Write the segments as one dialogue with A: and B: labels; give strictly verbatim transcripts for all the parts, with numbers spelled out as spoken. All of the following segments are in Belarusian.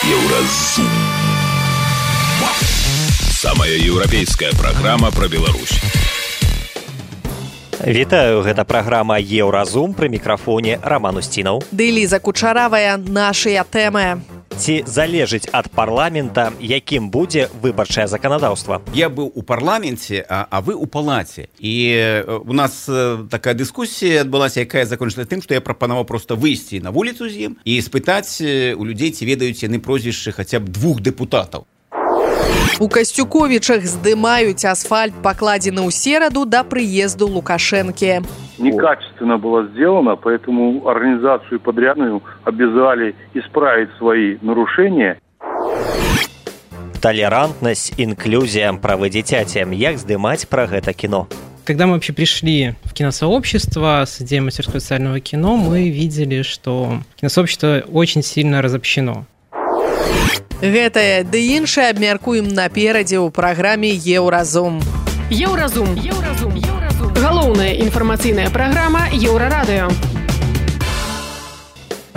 A: Еўразум. Самая еўрапейская праграма пра Беларусь.
B: Вітаю, гэта праграма Еўразум, пры мікрафоне Роман Устінаў.
C: Ды Ліза Кучаравая, нашыя тэмы.
B: Ці залежыць ад парламента, якім будзе выбарчае заканадаўства?
D: Я быў у парламенце, а, а вы у палаце. І у нас такая дыскусія адбылася, якая закончылася тым, што я прапанаваў проста выйсці на вуліцу з ім і спытаць у людзей, ці ведаюць яны прозвішчы хаця б двух дэпутатаў.
C: У Костюковичах здымаюць асфальт, пакладзены ў сераду да прыезду Лукашэнкі.
E: Некачественно было сделано, поэтому организацию подрядную обязали исправить свои нарушения.
B: Толерантность, инклюзия, правы дзіцяці. Як здымаць пра гэта кино?
F: Когда мы вообще пришли в киносообщество с идеей мастерской социального кино, мы видели, что киносообщество очень сильно разобщено.
C: Гэтае ды іншае абмяркуем наперадзе ў праграме Еўразум.
G: Еўразум. Еўразум. Еўразум. Галоўная інфармацыйная праграма Еўрарадыё.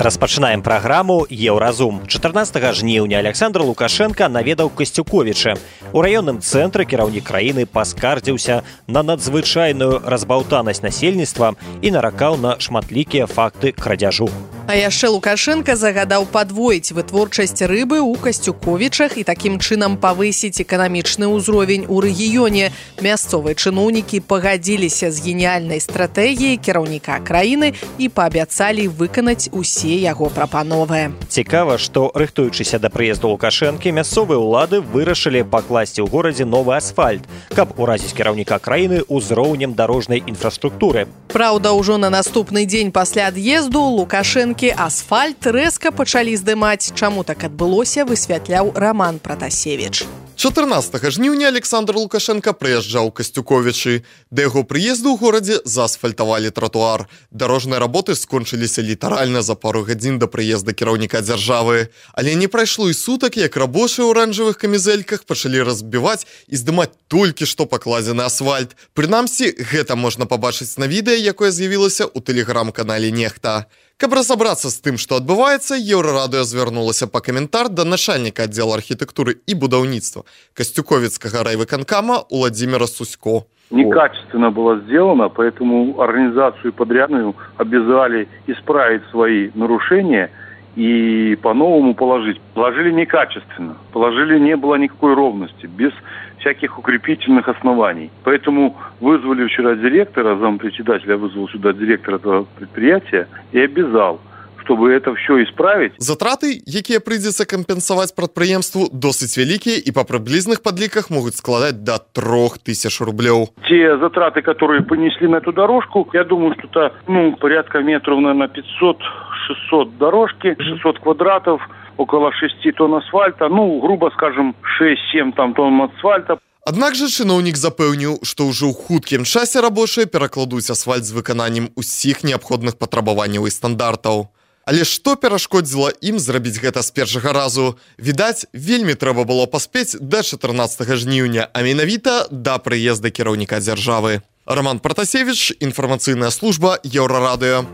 B: Распачынаем праграму Еўразум. чатырнаццатага жніўня Александр Лукашенко наведаў Костюковичы. У раённым цэнтры кіраўнік краіны паскардзіўся на надзвычайную разбаўтанасць насельніцтва і наракаў на шматлікія факты крадзяжу.
C: А яшчэ Лукашенко загадаў падвоіць вытворчасць рыбы ў Костюковичах і такім чынам павысіць эканамічны ўзровень у рэгіёне. Мясцовыя чыноўнікі пагадзіліся з геніяльнай стратэгіяй кіраўніка краіны і паабяцалі выканаць усе яго прапановы.
B: Цікава, што, рыхтуючыся да прыезду Лукашэнкі, мясцовыя ўлады вырашылі пакласці ў горадзе новы асфальт, каб уразіць кіраўніка краіны ўзроўнем дарожнай інфраструктуры.
C: Праўда, ужо на наступны дзень пасля ад'езду Лукашэнкі асфальт рэзка пачалі здымаць. Чаму так адбылося, высвятляў Роман Пратасевіч.
H: чатырнаццатага жніўня Александр Лукашенко прыязджаў у Костюковичы. Да яго прыезду ў горадзе заасфальтавалі тратуар. Дарожныя работы скончыліся літаральна за пару гадзін да прыезда кіраўніка дзяржавы. Але не прайшло і сутак, як рабочыя ў оранжевых камізэльках пачалі разбіваць і здымаць толькі што пакладзены асфальт. Прынамсі, гэта можна пабачыць на відэа, якое з'явілася ў тэлеграм-канале «Нехта». Каб разобрацца з тым, што адбываецца, Еўрарадыё звярнулася па каментар да начальніка аддзела архітэктуры і будаўніцтва Костюковицкага райвыканкама Владимира Сусько.
E: Некачественно было сделано, поэтому организацию подрядную обязали исправить свои нарушения и по-новому положить. Положили некачественно. Положили, не было никакой ровности, без всяких укрепительных оснований. Поэтому вызвали вчера директора, зампредседателя вызвал сюда директора этого предприятия и обязал, чтобы это все исправить.
H: Затраты, якія прыйдзецца кампенсаваць прадпрыемству, досыць вялікія і па прыблізных падліках могуць складаць до трёх тысяч рублёў.
E: Те затраты, которые понесли на эту дорожку, я думаю, что это ну, порядка метров, наверное, пятьсот-шестьсот дорожки, шестьсот квадратов, около шести тонн асфальта, ну, грубо скажем, шесть-семь там тонн асфальта.
H: Аднак жа чыноўнік запэўніў, што ўжо ў хуткім часе рабочыя перакладуць асфальт з выкананнем усіх неабходных патрабаванняў і стандартаў. Але што перашкодзіла ім зрабіць гэта з першага разу? Відаць, вельмі трэба было паспець да чатырнаццатага жніўня, а менавіта да прыезда кіраўніка дзяржавы. Роман Пратасевіч, інфармацыйная служба Еўрарадыё.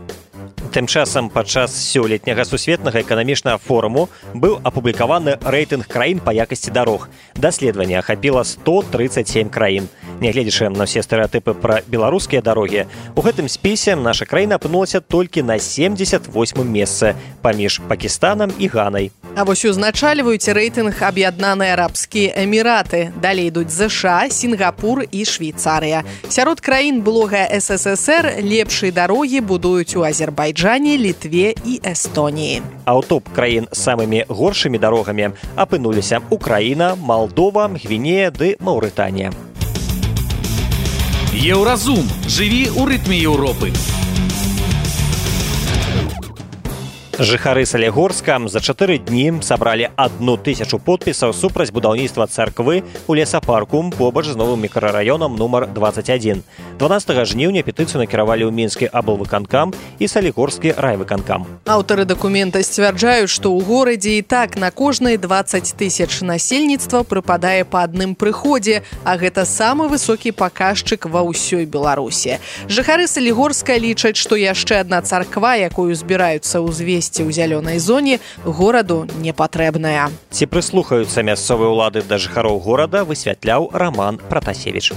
B: Тым часам падчас сёлетняга сусветнага эканамічнага форуму быў апублікаваны рэйтынг краін па якасці дарог. Даследаванне ахапіла сто трыццаць сем краін. Нягледзячы на ўсе стэрэатыпы пра беларускія дарогі, у гэтым спісе наша краіна апынулася толькі на семдзесят восьмым месцы паміж Пакістанам і Ганай.
C: А вось узначальваюць рэйтынг Аб'яднаныя Арабскія Эміраты. Далей ідуць ЗША, Сінгапур і Швейцарыя. Сярод краін былога эс эс эс эр лепшыя дарогі будуюць у Азербайджане, Літве і Эстоніі.
B: А ў топ краін з самымі горшымі дарогамі апынуліся Украіна, Малдова, Гвінея ды Маўрытанія.
A: Еўразум. Жыві ў рытме Еўропы.
B: Жыхары Салігорска за чатыры дні сабралі адну тысячу подпісаў супраць будаўніцтва царквы ў лесапарку побач з новым мікрараёнам нумар двадцать один. дванаццатага жніўня петыцыю накіравалі ў мінскі аблвыканкам і Салігорскі райвыканкам.
C: Аўтары дакумента сцвярджаюць, што ў горадзе і так на кожныя двадцать тысяч насельніцтва прыпадае па адным прыходзе, а гэта самы высокі паказчык ва ўсёй Беларусі. Жыхары Салігорска лічаць, што яшчэ адна царква, якую збіраюцца ўзвесіць дзейнасці ў зялёнай зоне гораду не патрэбная.
B: Ці прыслухаюцца мясцовыя ўлады да жыхароў горада, высвятляў Роман Пратасевіч.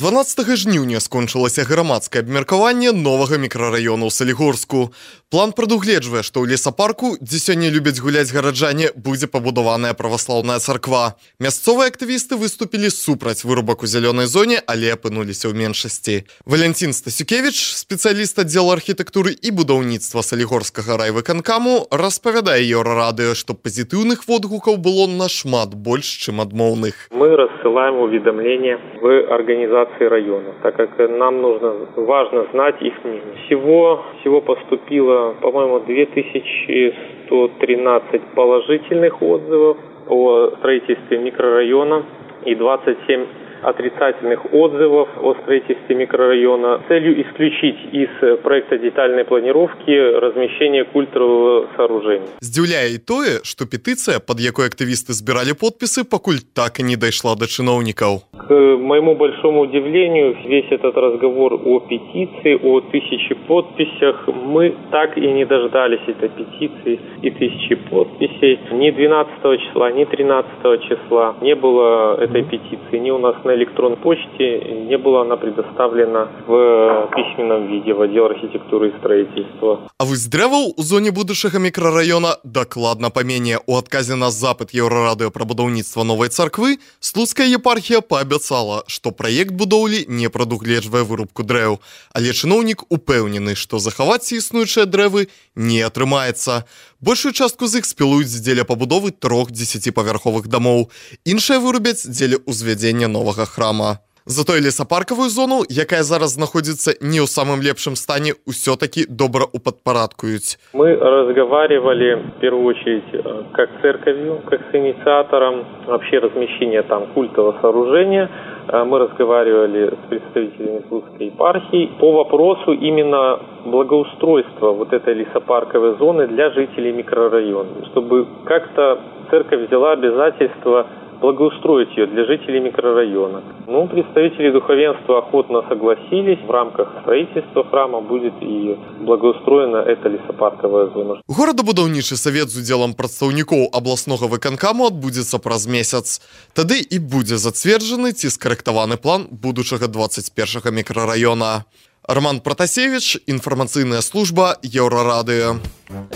H: дванаццатага жніўня скончылася грамадскае абмеркаванне новага мікрараёну ў Салігорску. План прадугледжвае, што ў лесапарку, дзе сёння любяць гуляць гараджане, будзе пабудаваная праваслаўная царква. Мясцовыя актывісты выступілі супраць вырубак у зялёнай зоне, але апынуліся ў меншасці. Валянцін Стасюкевіч, спецыяліст аддзела архітэктуры і будаўніцтва Салігорскага райвыканкаму, распавядае Еўрарадыё, што пазітыўных водгукаў было нашмат больш, чым адмоўных.
I: Мы рассылаем уведомления в организации района, так как нам нужно, важно знать их мнение. Всего, всего поступило, по-моему, две тысячи сто тринадцать положительных отзывов о строительстве микрорайона и двадцать семь отрицательных отзывов о строительстве микрорайона с целью исключить из проекта детальной планировки размещение культового сооружения.
H: Здзіўляе і тое, што петыцыя, пад якой актывісты збіралі подпісы, пакуль так і не дайшла да чыноўнікаў.
I: К моему большому удивлению, весь этот разговор о петиции, о тысяче подписях, мы так и не дождались этой петиции и тысячи подписей. Ни двенадцатого числа, ни тринадцатого числа не было этой петиции ни у нас на электронной почте, не была она предоставлена в письменном виде в отдел архитектуры и строительства.
H: А вось дрэваў у зоне будучага мікрараёна дакладна памене. У адказе на запыт Еўрарадыё пра будаўніцтва новай царквы Слуцкая епархія паабяцала, што праект будоўлі не прадугледжвае вырубку дрэў. Але чыноўнік упэўнены, што захаваць існуючыя дрэвы не атрымаецца. Большую частку з іх спілуюць дзеля пабудовы трох дзесяціпавярховых дамоў. Іншыя вырубяць дзеля ўзвядзення новага храма. Затое лесапаркавую зону, якая зараз знаходзіцца не ў самым лепшым стане, усё-таки добра упадпарадкуюць.
I: Мы разговаривали в первую очередь как с церковью, как с инициатором вообще размещения там культового сооружения. Мы разговаривали с представителями Слуцкой епархии по вопросу именно благоустройства вот этой лесопарковой зоны для жителей микрорайона, чтобы как-то церковь взяла обязательство благоустроить ее для жителей микрорайона. Ну, представители духовенства охотно согласились. В рамках строительства храма будет и благоустроена эта лесопарковая зона.
H: Горадабудаўнічы савет з удзелам прадстаўнікоў абласнога выканкаму адбудзецца праз месяц. Тады і будзе зацверджаны ці скарэктаваны план будучага двадцать першага мікрараёна. Роман Пратасевіч, інфармацыйная служба Еўрарадыё.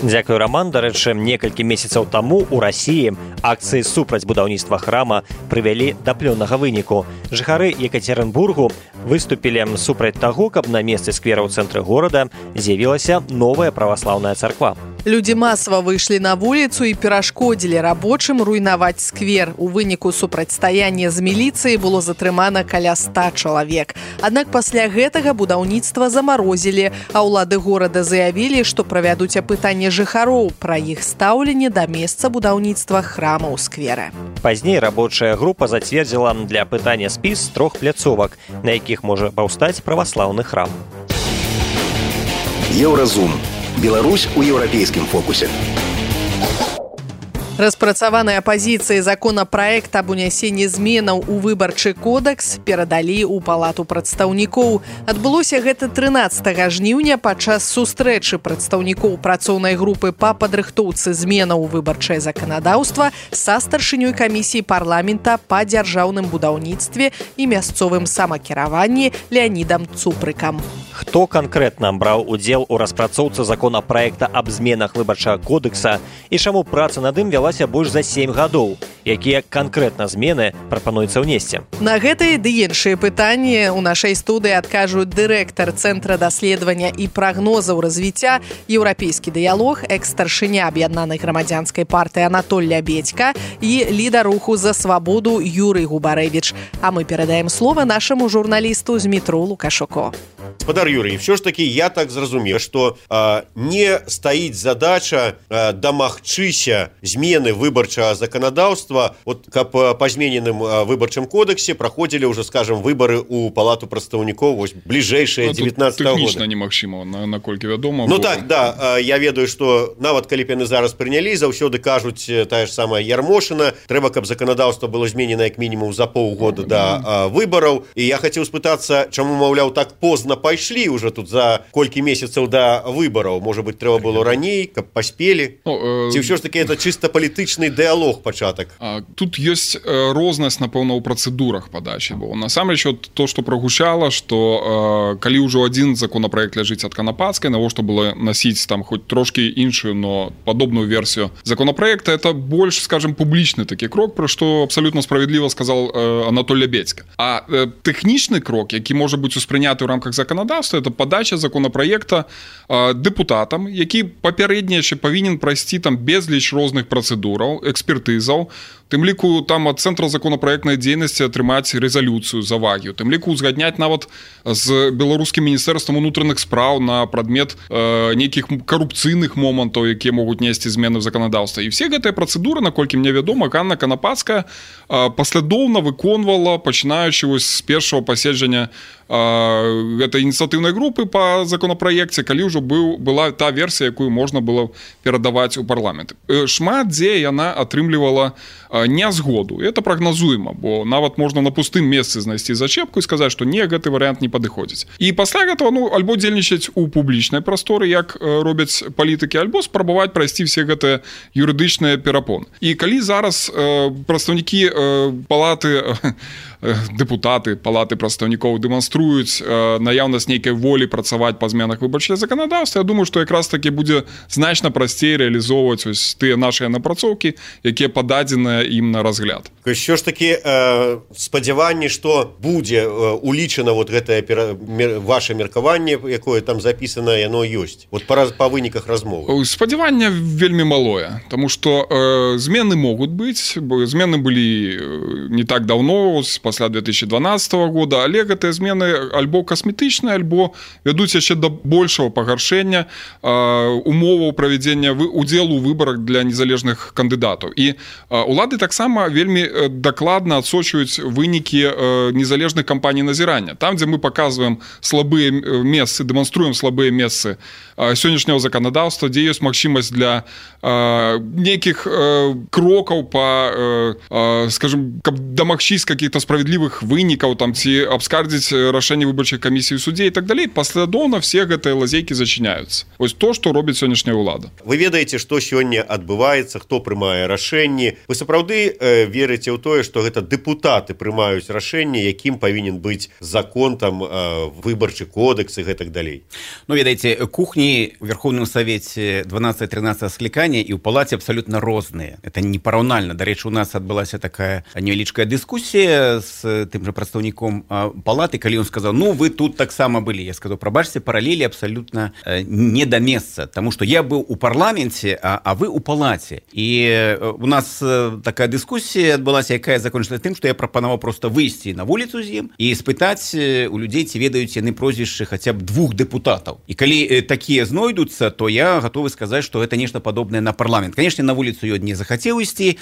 B: Дзякую, Роман. Дарэчы, некалькі месяцаў таму ў Расіі акцыі супраць будаўніцтва храма прывялі да плённага выніку. Жыхары Екатеринбургу выступілі супраць таго, каб на месцы сквера ў цэнтры горада з'явілася новая праваслаўная царква.
C: Людзі масава выйшлі на вуліцу і перашкодзілі рабочым руйнаваць сквер. У выніку супрацьстаяння з міліцыяй было затрымана каля ста чалавек. Аднак пасля гэтага будаўніцтва замарозілі, а ўлады горада заявілі, што правядуць апытанне жыхароў пра іх стаўленне да месца будаўніцтва храма ў сквере.
B: Пазней рабочая група зацвердзіла для апытання спіс трох пляцовак, на якіх можа паўстаць праваслаўны храм.
J: Еўразум. Беларусь у еўрапейскім фокусе.
C: Распрацаваныя апазіцыі законапраект аб унясенні зменаў у выбарчы кодэкс перадалі ў палату прадстаўнікоў. Адбылося гэта трынаццатага жніўня падчас сустрэчы прадстаўнікоў працоўнай групы па падрыхтоўцы зменаў у выбарчае заканадаўства са старшынёй камісіі парламента па дзяржаўным будаўніцтве і мясцовым самакіраванні Леанідам Цупрыкам.
B: Хто канкрэтна браў удзел у распрацоўцы законапраекта аб зменах выбарчага кодекса і чаму праца над ім вялася больш за сем гадоў? Якія канкрэтна змены прапануецца ўнесці?
C: На гэтыя ды іншыя пытанні ў нашай студыі адкажуць дырэктар Цэнтра даследавання і прагнозаў развіцця «Еўрапейскі дыялог», экс-старшыня аб'яднанай грамадзянскай партыі Анатоль Лябедька і лідар руху за свабоду Юрый Губарэвіч. А мы перадаем слова нашаму журналісту Змітру Лукашуко.
K: Гаспадар Юрый, все ж таки я так зразумеў, што э, не стаіць задача э, дамагчыся змены выбарчага заканадаўства законадаўства, вот каб па змененым выбарчым кодексе праходзілі ўжо, скажем, выбары ў палату прадстаўнікоў вось бліжэйшыя дзевятнаццатага года.
L: Тэхнічна немагчыма, на, наколькі вядома.
K: Ну бо... так, да, я ведаю, што нават калі б яны зараз прынялі, заўсёды кажуць тая ж самая Ярмошына, трэба, каб заканадаўства было зменена як мінімум за паўгода да а, выбараў. І я хацеў спытацца, чаму, маўляў, так позна пайшлі ўжо тут за колькі месяцаў да выбараў. Можа быць, трэба было раней, каб паспелі.
L: Ну, э...
K: Ці ўсё ж таки это чыста палітычны дыалог пачатак?
L: А, тут ёсць э, рознасць, напэўна, у працэдурах падачы. Бо насамрэч то, што прагучала, што э, калі ўжо адзін законапраект ляжыць ад Канапацкай, навошта было насіць там хоць трошкі іншую, но падобную версію законапраекта, это больш, скажем, публічны такі крок, пра што абсалютна справядліва сказал э, Анатоль Лябедзька. А э, тэхнічны крок, які можа быць успрыняты ў рамках законадаўства, это падача законапраекта э, дэпутатам, які папярэдне яшчэ павінен прайсці там безліч розных працэдураў, экспертызаў, тым ліку там ад цэнтра законапраектнай дзейнасці атрымаць рэзалюцыю завагі, тым ліку узгадняць нават з беларускім міністэрствам унутраных спраў на прадмет э, нейкіх карупцыйных момантаў, якія могуць несці змены ў заканадаўства. І все гэтыя працэдуры, наколькі мне вядома, Ганна Канапацкая э, паслядоўна выконвала, пачынаючы вось з першага паседжання э, гэтай ініцыятыўнай групы па законапраекце, калі ўжо быў, была та версія, якую можна было перадаваць у парламент. Э, шмат дзе яна атрымлівала нязгоду. Это прагназуема, бо нават можна на пустым месцы знайсці зачепку і сказаць, што не, гэты варыянт не падыходзіць. І пасля гэтага, ну, альбо дзельнічаць у публічнай прасторы, як робяць палітыкі, альбо спрабаваць прайсці все гэтыя юрыдычныя перапоны. І калі зараз э, прадстаўнікі э, палаты э, дэпутаты палаты прадстаўнікоў дэманструюць э, наяўнасць нейкай волі працаваць па зменах выбарчага заканадаўства, я думаю, што якраз такі будзе значна прасцей рэалізоўваць ось тыя нашыя напрацоўкі, якія пададзеныя ім на разгляд.
K: Що ж такі э, спадзяванні, што будзе э, улічана вот гэтае пера... мер... ваше меркаванне, якое там запісана, яно ёсць. Вот па, па выніках размовы.
L: Спадзяванне вельмі малое, таму што э, змены могуць быць, бо змены былі не так даўно, пасля две тысячи дванаццатага года, але гэтыя змены альбо касметычныя, альбо вядуць яшчэ да большого пагаршэння э, умоваў правядзення удзелу ў выбарах для незалежных кандыдатаў. І э, улады таксама вельмі дакладна адсочваюць вынікі незалежных кампаній назірання. Там, дзе мы паказваем слабыя месцы, дэманструем слабыя месцы сённяшняга заканадаўства, дзе ёсць магчымасць для нейкіх крокаў па, скажем, каб дамагчыся каких-то справядлівых вынікаў там ці абскардзіць рашэнне выбарчых камісій у судзе і так далей. Паслядоўна все гэтыя лазейкі зачыняюцца. Вось то, што робіць сённяшняя ўлада.
K: Вы ведаеце, што сёння адбываецца, хто прымае рашэнні. Вы сапраўды э, верыце ў тое, што гэта дэпутаты прымаюць рашэнне, якім павінен быць закон, там, э, выбарчы кодекс і гэтак далей?
D: Ну, ведаеце, кухні ў Верховным Савеце дванаццатае-трынаццатае склікання і ў палаце абсалютна розныя. Это непараўнальна. Дарэчы, у нас адбылася такая невялічкая дыскусія з тым жа прадстаўніком палаты, калі ён сказаў, ну, вы тут таксама былі. Я сказаў, прабачце, паралелі абсалютна не да месца, таму што я быў у парламенце, а, а вы у палаце. І у нас такая дыскусія адбылася, якая закончылася тым, што я прапанаваў проста выйсці на вуліцу з ім і спытаць у людзей, ці ведаюць яны прозвішчы хаця б двух дэпутатаў. І калі такія знойдуцца, то я гатовы сказаць, што гэта нешта падобнае на парламент. Канешне, на вуліцу ён не захацеў ісці,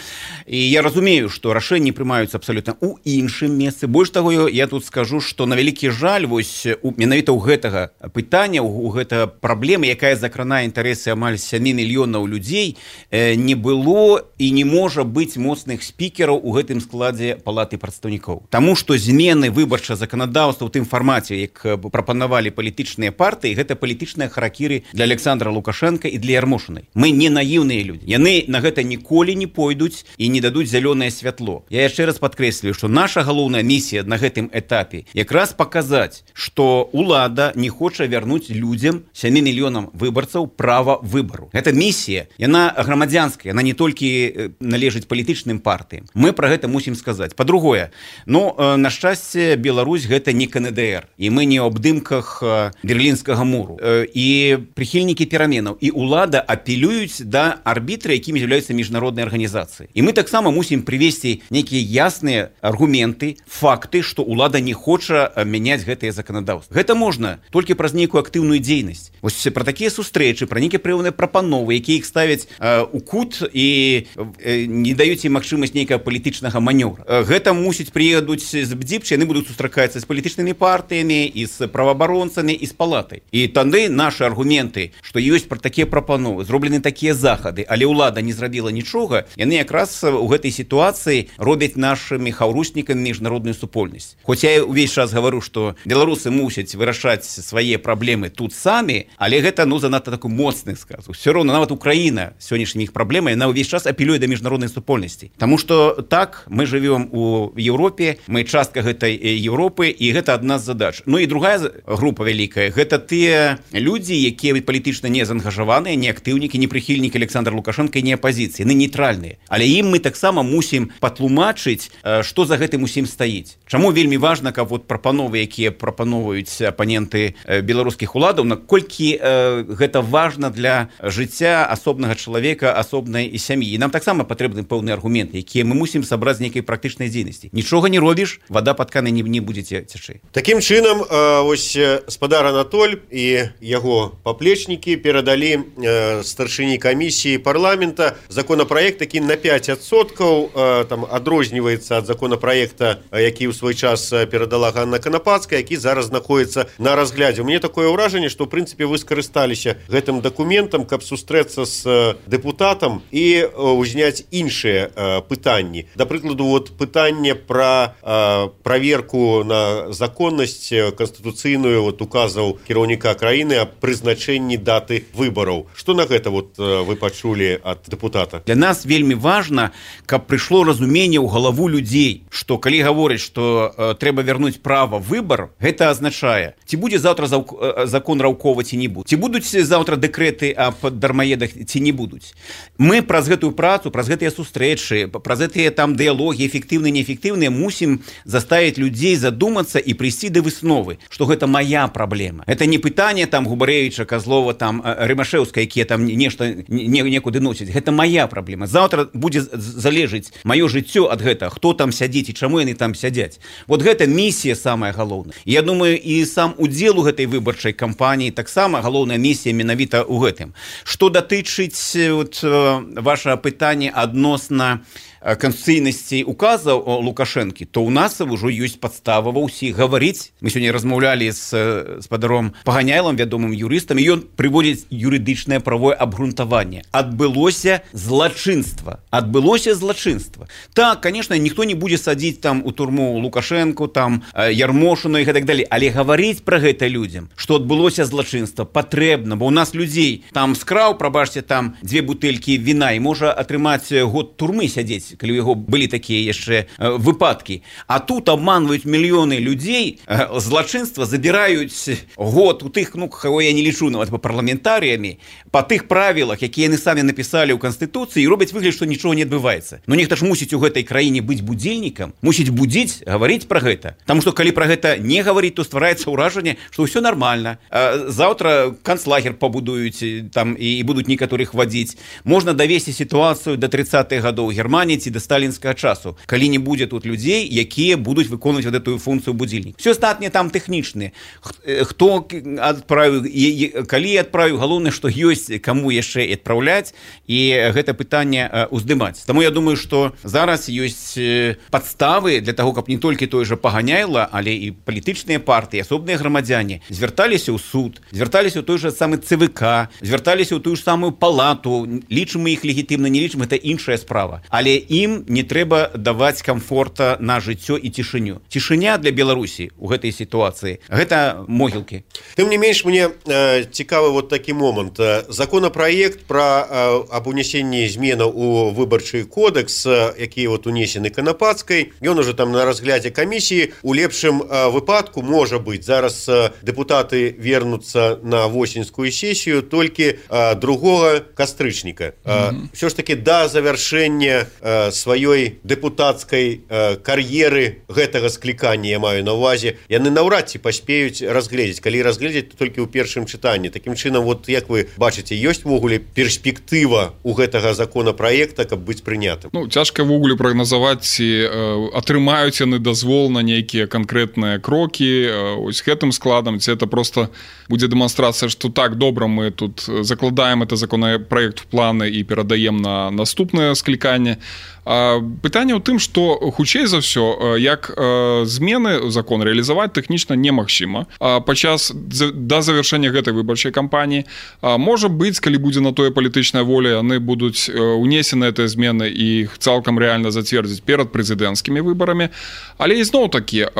D: і я разумею, што рашэнні прымаюцца абсалютна ў іншым месцы. Больш таго, я тут скажу, што на вялікі жаль, вось менавіта ў гэтага пытання, у гэта праблемы, якая закранае інтарэсы амаль сямі мільёнаў людзей, не было і не можа быць моцных спікераў у гэтым складзе палаты прадстаўнікоў. Таму што змены выбарчага заканадаўства ў тым фармаце, як прапанавалі палітычныя партыі, гэта палітычныя харакіры для Александра Лукашенка і для Ярмошынай. Мы не наіўныя людзі. Яны на гэта ніколі не пойдуць і не дадуць зялёнае святло. Я яшчэ раз падкрэслюю, што наша галоўная місія на гэтым этапе якраз паказаць, што ўлада не хоча вярнуць людзям, сямі мільёнам выбарцаў, права выбару. Гэта місія, яна грамадзянская, яна не толькі належыць палітычным партыям. Мы пра гэта мусім сказаць. Па-другое, ну, на шчасце, Беларусь гэта не ка эн дэ эр, і мы не ў абдымках Берлінскага муру. І прыхільнікі пераменаў, і ўлада апелююць да арбітра, якімі з'яўляюцца міжнародныя арганізацыі. І мы таксама мусім прывесці нейкія ясныя аргументы, аргументы, факты, што ўлада не хоча мяняць гэтае заканадаўства. Гэта можна толькі праз нейкую актыўную дзейнасць. Вось пра такія сустрэчы, пра нейкія пэўныя прапановы, якія іх ставяць э, у кут і э, не даюць ім магчымасць нейкага палітычнага манёвра. Э, гэта мусіць прыедуць з БДЗІП, яны будуць сустракацца з палітычнымі партыямі і з праваабаронцамі і з палатай. І тады нашы аргументы, што ёсць пра такія прапановы, зроблены такія захады, але ўлада не зрабіла нічога, яны якраз у гэтай сітуацыі робяць нашымі хаўруснікамі міжнародную супольнасць. Хоць я ўвесь час гавару, што беларусы мусяць вырашаць свае праблемы тут самі, але гэта ну занадта такі моцны сказ. Усё роўна нават Украіна сённяшнімі іх праблемай, яна ўвесь час апелюе да міжнароднай супольнасці. Таму што так мы жывём у Еўропе, мы частка гэтай Еўропы і гэта адна з задач. Ну і другая група вялікая, гэта тыя людзі, якія палітычна не заангажаваныя, не актыўнікі, не прыхільнікі Александра Лукашенка і не апазіцыі, яны нейтральныя. Але ім мы таксама мусім патлумачыць, што за гэтым усім стаіць. Чаму вельмі важна, каб вот прапановы, якія прапановваюць апаненты беларускіх уладаў, наколькі э, гэта важна для жыцця асобнага чалавека, асобнай і сям'і. І нам таксама патрэбны пэўныя аргументы, якія мы мусім сабраць з нейкай практычнай дзейнасці. Нічога не робіш, вада пад канай не, не будзе цячэй.
K: Такім чынам, э, вось спадар Анатоль і яго паплечнікі перадалі э, старшыні камісіі парламента законапраект, які на пяць адсоткаў э, там адрозніваецца ад законапраекта, які ў свой час перадала Ганна Канапацкая, які зараз знаходіцца на разглядзе. У мяне такое ўражанне, што ў прынцыпе вы скарысталіся гэтым дакументам, каб сустрэцца з дэпутатам і ўзняць іншыя пытанні. Да прыкладу, вот пытанне пра праверку на законнасць канстытуцыйную вот указаў кіраўніка краіны аб прызначэнні даты выбараў. Што на гэта вот вы пачулі ад дэпутата?
D: Для нас вельмі важна, каб прыйшло разуменне ў галаву людзей, што калі гавораць, што э, трэба вярнуць права выбар, гэта азначае, ці будзе заўтра закон Раўкова ці не будзе, ці будуць заўтра дэкрэты аб дармаедах ці не будуць. Мы праз гэтую працу, праз гэтыя сустрэчы, праз гэтыя там дыялогі эфектыўныя, неэфектыўныя мусім заставіць людзей задумацца і прыйсці да высновы, што гэта мая праблема. Это не пытанне там Губарэвіча, Казлова, там Рымашэўска, якія там нешта не, некуды носяць. Гэта мая праблема. Заўтра будзе залежыць маё жыццё ад гэтага, хто там сядзіць і чаму яны там сядзяць. Вот гэта місія самая галоўная. Я думаю, і сам удзел у гэтай выбарчай кампаніі таксама галоўная місія менавіта ў гэтым. Што датычыць вот, ваша пытанне адносна конституцыйнасці указаў Лукашэнкі, то ў нас ўжо ёсць падстава ва ўсіх гаварыць. Мы сёння размаўлялі з спадаром Паганяйлам, вядомым юрыстам, і ён прыводзіць юрыдычнае правое абгрунтаванне. Адбылося злачынства. Адбылося злачынства. Так, конечно, ніхто не будзе садзіць там у турму Лукашэнку, там Ярмошыну і гэтак далей, але гаварыць пра гэта людзям, што адбылося злачынства, патрэбна, бо ў нас людзей там скраў, прабачце, там дзве бутэлькі віна і можа атрымаць год турмы сядзець, калі ў яго былі такія яшчэ э, выпадкі. А тут обманваюць мільёны людзей, э, злачынства забіраюць год у тых, ну, каго я не лічу нават парламентарыямі, па тых правілах, якія яны самі напісалі ў Канстытуцыі, і робяць выгляд, што нічога не адбываецца. Ну нехта ж мусіць у гэтай краіне быць будзільнікам, мусіць будзіць, гаварыць пра гэта. Таму што калі пра гэта не гаварыць, то ствараецца ўражанне, што ўсё нармальна. Э, заўтра канцлагер пабудуюць там і, і будуць некаторых вадзіць. Можна давесці сітуацыю да трыццатых гадоў Германіі ці да сталінскага часу, калі не будзе тут людзей, якія будуць выконваць вот эту функцыю будзільніка. Все астатнія там тэхнічныя. Хто адправіў, калі адправіў, галоўнае, што ёсць каму яшчэ адпраўляць і гэта пытанне уздымаць. Таму я думаю, што зараз ёсць падставы для таго, каб не толькі той жа Паганяйла, але і палітычныя партыі, асобныя грамадзяне звярталіся ў суд, звярталіся ў той жа самы ЦВК, звярталіся ў тую ж самую палату, лічым мы іх легітымна, не лічым, гэта іншая справа. Але ім не трэба даваць камфорта на жыццё і цішыню. Цішыня для Беларусі ў гэтай сітуацыі – гэта могілкі.
K: Тым не менш, мне э, цікавы вот такі момант. Законапраект пра э, аб унесенні зменаў у выбарчы кодекс, які вот унесены Канапацкай, ён уже там на разглядзе камісіі. У лепшым э, выпадку, можа быць, зараз э, дэпутаты вернуцца на восеньскую сесію толькі э, другога кастрычніка. Э, mm-hmm. Всё ж таки да завяршэння э, сваёй дэпутацкай э, кар'еры гэтага склікання, я маю на ўвазе, яны наўрад ці паспеюць разгледзець. Калі разгледзець, то толькі ў першым чытанні. Такім чынам, вот як вы бачыце, ёсць ввогуле перспектыва у гэтага законапраекта, каб быць прынятым?
L: Ну, цяжка ввогуле прагназаваць, ці э, атрымаюць яны дазвол на нейкія канкрэтныя крокі ось гэтым складам, ці это просто будзе дэманстрацыя, што так добра мы тут закладаем это законопроект в планы і перадаем на наступнае скліканне. Пытанне ў тым, што хутчэй за ўсё, як змены закон рэалізаваць тэхнічна немагчыма падчас да завяршэння гэтай выбарчай кампаніі. Можа быць, калі будзе на тое палітычная воля, яны будуць унесены гэтыя змены і іх цалкам рэальна зацвердзіць перад прэзідэнцкімі выбарамі. Але ізноў такі,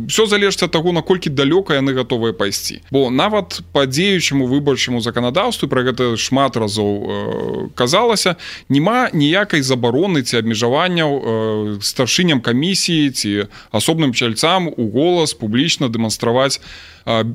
L: ўсё залежыць ад таго, наколькі далёка яны гатовыя пайсці. Бо нават па дзеючаму выбарчаму заканадаўству, пра гэта шмат разоў казалася, няма ніякай забароны ці абмежаванняў старшыням камісіі ці асобным чальцам у голас публічна дэманстраваць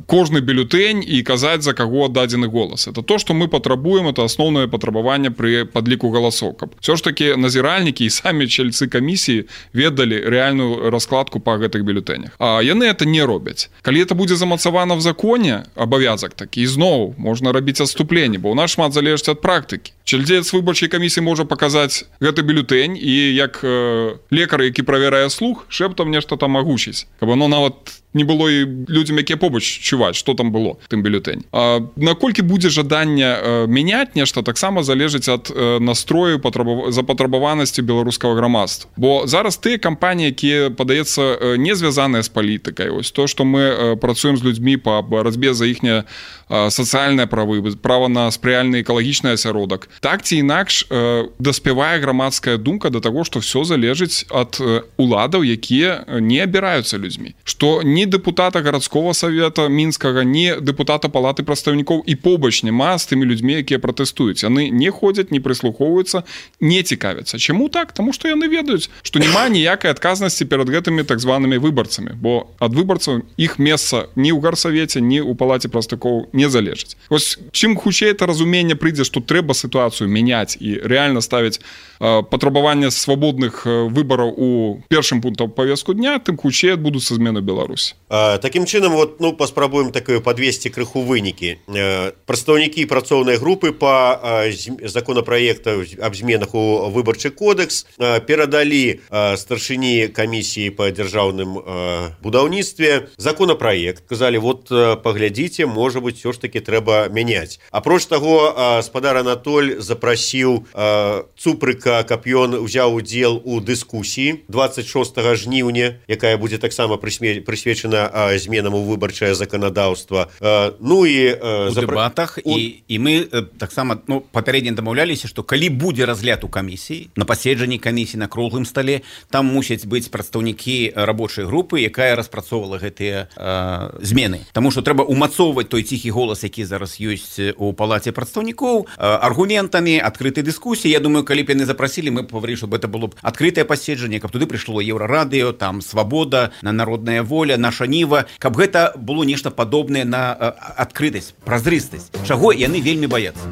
L: кожны бюлетень і казаць, за каго аддадзены голас. Это то, што мы патрабуем, это асноўнае патрабаванне пры падліку галасоў. Каб ўсё ж такі назіральнікі і самі чальцы камісіі ведалі рэальную раскладку па гэтых бюлетенях. А яны это не робяць. Калі это будзе замацавана в законе, абавязак такі, ізноў можна рабіць адступленне, бо ў нас шмат залежыць ад практыкі. Чальцец выбарчай камісіі можа паказаць гэты бюлетень і як э, лекар, які правярае слух, шэптам нешта там агучыць, каб оно нават не было і людзям, якія побач чуваць, што там было тым бюлетень. А наколькі будзе жаданне э, мяняць нешта, таксама залежыць ад э, настрою патрабав... запатрабаванасці беларускага грамадства. Бо зараз тыя кампаніі, якія, падаецца, э, не звязаныя з палітыкай, ось то, што мы э, працуем з людзьмі па барацьбе за іхнія э, сацыяльныя правы, права на спрыяльны экалагічны асяродак, так ці інакш э, даспявае грамадская думка да таго, што ўсё залежыць ад э, уладаў, якія не абіраюцца людзьмі. Што ні дэпутата гарадскога савета мінскага, ні дэпутата палаты прадстаўнікоў і побач няма з тымі людзьмі, якія пратэстуюць. Яны не ходзяць, не прыслухоўваюцца, не цікавяцца. Чаму так? Таму што яны ведаюць, што няма ніякай адказнасці перад гэтымі так званымі выбарцамі, бо ад выбарцаў іх месца ні ў гарсавеце, ні ў палаце прадстаўнікоў не залежыць. Вось чым хутчэй это разуменне прыйдзе, што трэба сітуацыю мяняць і рэальна ставіць э, патрабаванне свабодных э, выбараў у першым пунктам павестку дня, тым хутчэй адбудуцца змены Беларусі.
K: А, такім чынам, вот, ну, паспрабуем такое падвесці крыху вынікі. Э, прадстаўнікі працоўнай групы па э, законапраекта аб зменах у выбарчы кодекс э, перадалі э, старшыні камісіі па дзяржаўным э, будаўніцтве законапраект. Казалі, вот э, паглядзіце, можа быць, ўсё ж таки трэба мяняць. Апроч таго, э, спадар Анатоль запрасіў э, Цупрыка, каб ён узяў удзел у дыскусіі двадцать шостага жніўня, якая будзе таксама прысвечана э, зменам у выбарчае заканадаўства. Э, ну і э,
D: у запра... дэбатах у... і, і мы э, таксама ну, папярэдне дамаўляліся, што калі будзе разгляд у камісіі, на паседжанні камісіі, на круглым стале, там мусяць быць прадстаўнікі рабочай групы, якая распрацоўвала гэтыя э, змены. Таму што трэба умацоўваць той ціхі голас, які зараз ёсць у палаце прадстаўнікоў, э, аргументамі, адкрытай дыскусіі. Я думаю, калі б яны запрасілі, мы паварылі, щоб это было б адкрытае паседжанне, каб туды прыйшло Еўрарадыё, там свабода, на народная воля, наша ніва, каб гэта было нешта падобнае на э, адкрытасць, празрыстасць, чаго яны вельмі баяцца.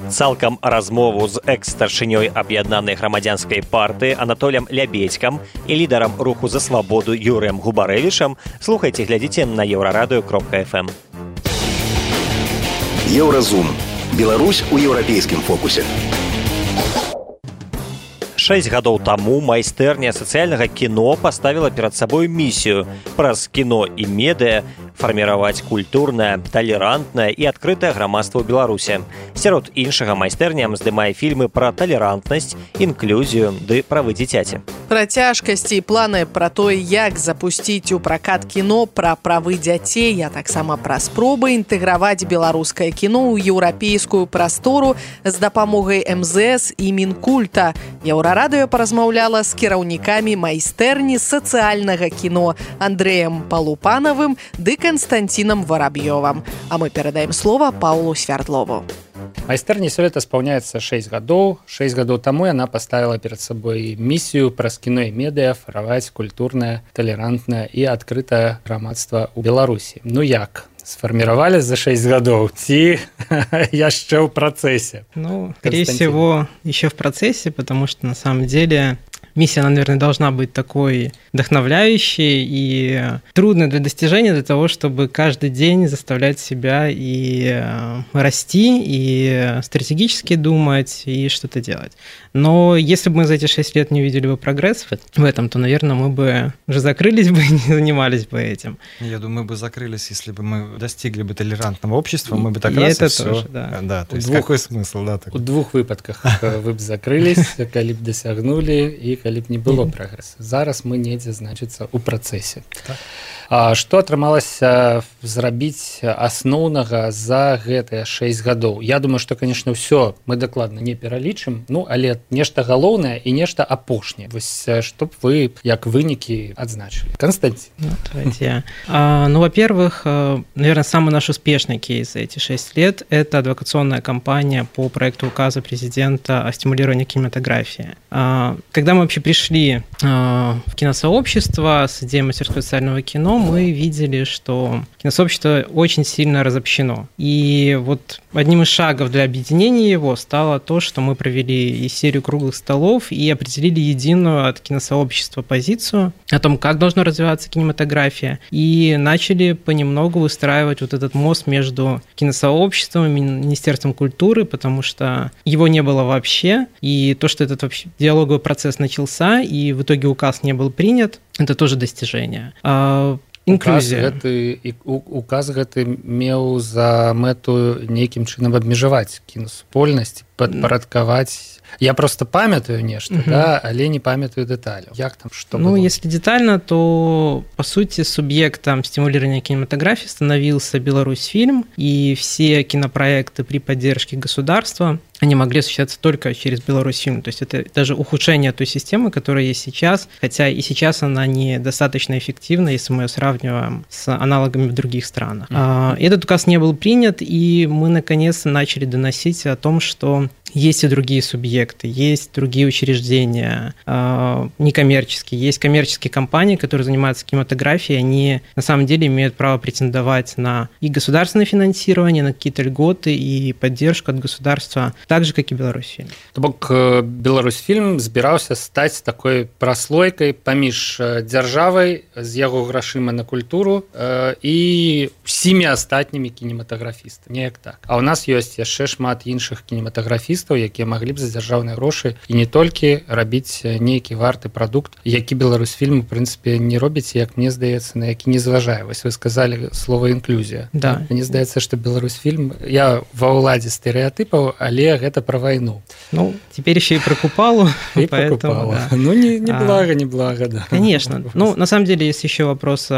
B: Цалкам размову з экс-старшынёй аб'яднанай грамадзянскай партыі Анатолем Лябедзькам і лідарам руху за свабоду Юрыем Губарэвічам слухайце, глядзіце на еўрарадыё кропка эф эм.
J: Еўразум. Беларусь у еўрапейскім фокусе.
B: Шэсць гадоў таму майстэрня сацыяльнага кіно паставіла перад сабой місію праз кіно і медыа фарміраваць культурнае, талерантнае і адкрытае грамадства ў Беларусі. Сярод іншага майстэрням здымае фільмы пра талерантнасць, інклюзію ды правы дзіцяці.
C: Пра цяжкасці і планы пра тое, як запусціць у пракат кіно пра правы дзяцей, а таксама пра спробы інтэграваць беларускае кіно ў еўрапейскую прастору з дапамогай эм зэ эс і Мінкульта. Еўрарадыё паразмаўляла з кіраўнікамі майстэрні сацыяльнага кіно Андрэем Палупанавым ды Константином Воробьевым. А мы передаем слово Паулу Свярдлову.
M: Майстэрні сёлета спаўняецца шэсць гадоў. шэсць гадоў таму яна паставіла перад сабой місію праз кіно і медыа фараваць культурнае, талерантнае і адкрытае грамадства ў Беларусі. Ну як? Сфармировали за шесть годов, ти яшчэ в процессе?
F: Ну, скорее всего, еще в процессе, потому что на самом деле миссия, она, наверное, должна быть такой вдохновляющей и трудной для достижения, для того, чтобы каждый день заставлять себя и расти, и стратегически думать, и что-то делать. Но если бы мы за эти шесть лет не увидели бы прогресс в этом, то, наверное, мы бы уже закрылись бы и не занимались бы этим.
N: Я думаю, мы бы закрылись, если бы мы достигли бы толерантного общества, мы бы так
F: и
N: раз
F: это
N: и все.
F: Тоже, да.
N: Да, то есть
M: двух,
N: какой смысл? Да,
M: у двух выпадках вы б закрылись, калі б дасягнули і калі б не было прагрэсу. Зараз мы недзе, значыцца, у працэсе. А што атрымалася зрабіць асноўнага за гэтыя шэсць гадоў? Я думаю, што, конечно, ўсё мы дакладна не пералічым, ну, але нешта галоўнае і нешта апошняе. Вось што б вы, як вынікі, адзначылі? Константин.
F: Ну, давайте. а, ну, во-первых, наверное, самый наш успешный кейс за эти шесть лет – это адвокационная кампания по проекту указа президента о стимулировании кинематографии. А, когда мы вообще пришли а, в киносообщество с идеей мастерской социального кино, мы видели, что киносообщество очень сильно разобщено. И вот одним из шагов для объединения его стало то, что мы провели и серию круглых столов и определили единую от киносообщества позицию о том, как должна развиваться кинематография, и начали понемногу выстраивать вот этот мост между киносообществом и Министерством культуры, потому что его не было вообще, и то, что этот вообще диалоговый процесс начался, и в итоге указ не был принят, это тоже достижение. Інклюзія.
M: Указ гэты, указ гэты меў за мэту нейкім чынам абмежаваць кінасупольнасць, падпарадкаваць. Я просто памятаю нешта, угу. да, але не памятаю дэталяў. Як там, што
F: Ну,
M: было?
F: если детально, то, по сути, субъектом стимулирования кинематографии становился Беларусьфильм, и все кинопроекты при поддержке государства, они могли осуществляться только через Беларусьфильм. То есть это даже ухудшение той системы, которая есть сейчас, хотя и сейчас она недостаточно эффективна, если мы ее сравниваем с аналогами в других странах. Mm-hmm. Этот указ не был принят, и мы наконец-то начали доносить о том, что есть и другие субъекты, есть другие учреждения, э, некоммерческие, есть коммерческие компании, которые занимаются кинематографией, они на самом деле имеют право претендовать на и государственное финансирование, на какие-то льготы и поддержку от государства, так же, как и Беларусьфильм.
M: То бок Беларусьфильм збіраўся стаць такой праслойкай паміж дзяржавай з яго грашыма на культуру э, і всімі астатнімі кінематаграфістамі, неяк так. А ў нас ёсць яшчэ шмат іншых кінематаграфістаў, якія маглі б за дзяржаўныя грошы і не толькі рабіць нейкі варты прадукт, які Беларусьфільм, у прынцыпе, не робіць, як мне здаецца, на які не зважае. Вось вы сказалі слово інклюзія.
F: Да.
M: Мне здаецца, што Беларусьфільм, я ва ўладзе стэрэатыпаў, але гэта про войну.
F: Ну, теперь еще и про Купалу.
M: И про Купалу. Да. Ну, не, не благо, не благо, да.
F: Конечно. Ну, на самом деле, если еще вопрос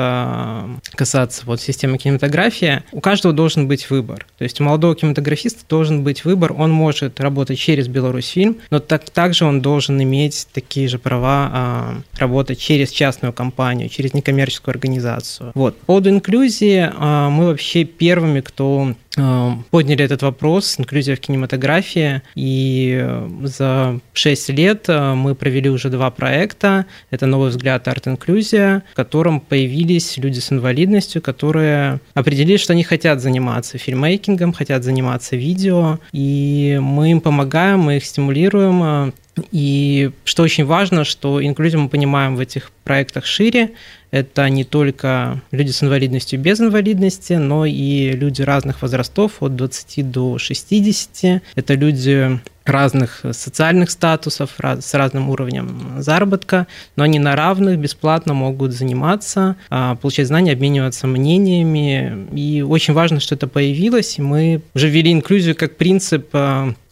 F: касаться вот системы кинематографии, у каждого должен быть выбор. То есть у молодого кинематографиста должен быть выбор, он может работать через Беларусьфильм, но так, также он должен иметь такие же права а, работать через частную компанию, через некоммерческую организацию. Вот. По поводу инклюзии а, мы вообще первыми, кто а, подняли этот вопрос, инклюзия в кинематографии, и за шесть лет мы провели уже два проекта. Это «Новый взгляд. Арт-инклюзия», в котором появились люди с инвалидностью, которые определили, что они хотят заниматься фильммейкингом, хотят заниматься видео, и мы им помогаем, мы их стимулируем. И что очень важно, что инклюзию мы понимаем в этих проектах шире. Это не только люди с инвалидностью и без инвалидности, но и люди разных возрастов, от двадцати до шестидесяти. Это люди разных социальных статусов, с разным уровнем заработка, но они на равных бесплатно могут заниматься, получать знания, обмениваться мнениями. И очень важно, что это появилось. И мы уже ввели инклюзию как принцип,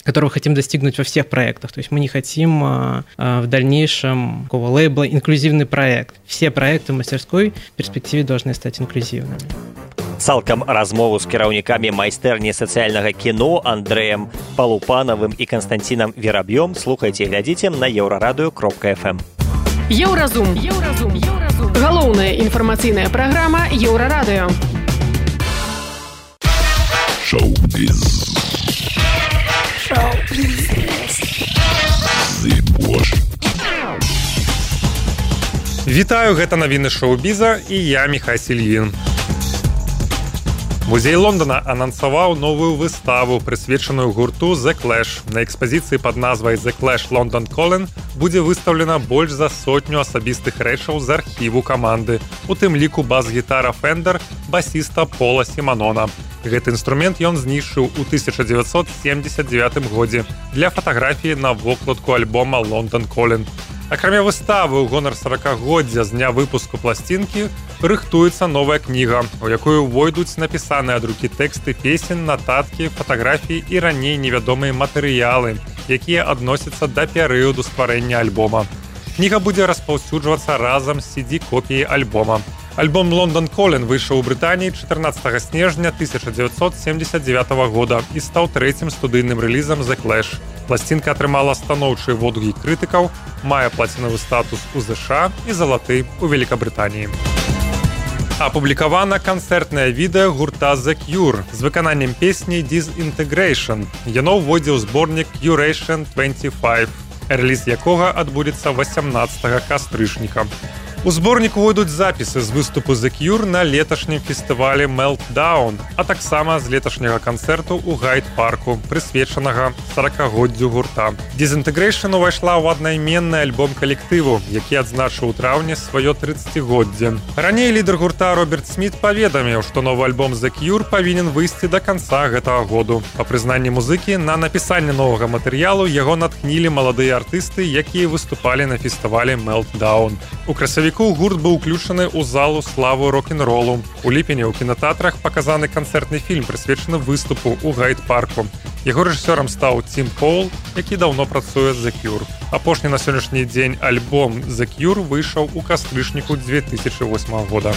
F: которого хотим достигнуть во всех проектах. То есть мы не хотим а, а, в дальнейшем такого лейбла «инклюзивный проект». Все проекты в мастерской в перспективе должны стать инклюзивными.
B: Цалкам размову з кіраўнікамі майстэрні сацыяльнага кіно Андрэем Палупанавым і Константинам Вераб'ём слухайце і глядзіце на еўрарадыё кропка эф эм.
G: Еўразум. Еўразум. Еўразум. Галоўная інфармацыйная праграма Еўрарадыё.
A: Шоу-біз.
O: Вітаю, гэта навіны шоу-біза і я Міхась Ільін. Музей Лондона анансаваў новую выставу, прысвечаную гурту The Clash. На экспазіцыі пад назвай The Clash London Calling будзе выстаўлена больш за сотню асабістых рэчаў з архіву каманды, у тым ліку бас-гітара Fender басіста Пола Сіманона. Гэты інструмент ён знішчыў у тысяча дзевяцьсот семьдесят девятым годзе для фатаграфіі на вокладку альбома London Calling. Акрамя выставы ў гонар сорокагоддзя з дня выпуску пласцінкі рыхтуецца новая кніга, у якую ўвойдуць напісаныя ад рукі тэксты песень, нататкі, фатаграфіі і раней невядомыя матэрыялы, якія адносяцца да перыяду стварэння альбома. Кніга будзе распаўсюджвацца разам з сі ді-копіяй альбома. Альбом London Calling выйшаў у Брытаніі чатырнаццатага снежня тысяча дзевяцьсот семьдесят девятого года і стаў трэцім студыйным рэлізам The Clash. Пласцінка атрымала станоўчыя водгукі крытыкаў, мае плацінавы статус у ЗША і залаты ў Великабрытаніі. Апублікавана канцэртнае відэа гурта The Cure з выкананнем песні Disintegration. Яно ўвойдзе ў зборнік Curation двадцать пять, рэліз якога адбудзецца васямнаццатага кастрычніка. У зборнік увойдуць запісы з выступу The Cure на леташнім фестывалі Meltdown, а таксама з леташняга канцэрту ў Гайд-парку, прысвечанага сорокагоддзю гурта. Disintegration увайшла ў аднайменны альбом калектыву, які адзначыў у траўні сваё трыццацігоддзе. Раней лідар гурта Роберт Сміт паведаміў, што новы альбом The Cure павінен выйсці да канца гэтага году. Па прызнанні музыкі, на напісанне новага матэрыялу яго натхнілі маладыя артысты, якія выступалі на фестывалі Meltdown. У красавіку гурт быў уключаны ў залу славы рок-н-ролу. У ліпені ў кінотэатрах паказаны канцэртны фільм, прысвечаны выступу ў Гайд-парку. Яго рэжысёрам стаў Тім Поул, які даўно працуе з The Cure. Апошні на сённяшні дзень альбом The Cure выйшаў у кастрычніку две тысячи восьмого года.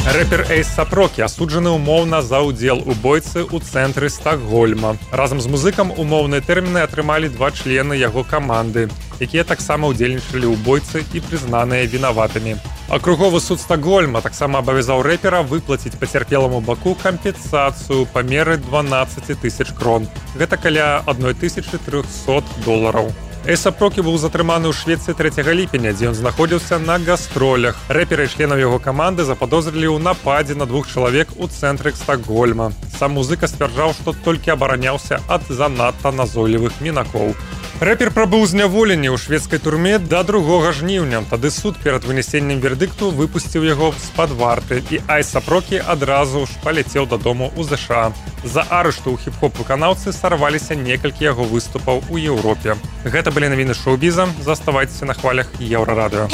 O: Рэпер A$эй$ап Rocky асуджаны умоўна за ўдзел у бойцы ў цэнтры Стакгольма. Разам з музыкам умоўныя тэрміны атрымалі два члены яго каманды, якія таксама ўдзельнічалі ў бойцы і прызнаныя вінаватымі. Акруговы суд Стакгольма таксама абавязаў рэпера выплаціць пацярпеламу баку кампенсацыю па меры дванаццаць тысяч крон. Гэта каля тысяча триста долараў. A$эй$ап Rocky быў затрыманы ў Швецыі трэцяга ліпеня, дзе ён знаходзіўся на гастролях. Рэпера і членаў яго каманды заподозрылі ў нападзе на двух чалавек у цэнтры Стакгольма. Сам музыка сцвярджаў, што толькі абараняўся ад занадта назойлівых мінакоў. Рэпер прабыў зняволенне ў шведскай турме да другога жніўня. Тады суд перад вынесеннем вердыкту выпусціў яго з-пад варты, і A$эй$ап Rocky адразу ж паляцеў дадому ў ЗША. З-за арышту ў хіп-хоп выканаўцы сарваліся некалькі яго выступаў у Еўропе. Гэта былі навіны шоу-біза. Заставайцеся на хвалях Еўрарадыё.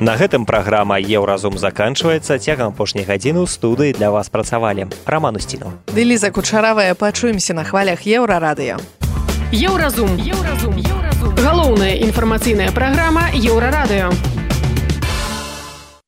B: На гэтым праграма «Еўразум» заканчваецца. Цягам апошняй гадзіны ў студыі для вас працавалі Роман Устінаў.
C: Ды Ліза Кучаравая. Пачуемся на хвалях Еўрарадыё.
G: Еўразум. Еўразум. Еўразум. Галоўная інфармацыйная праграма Еўрарадыё.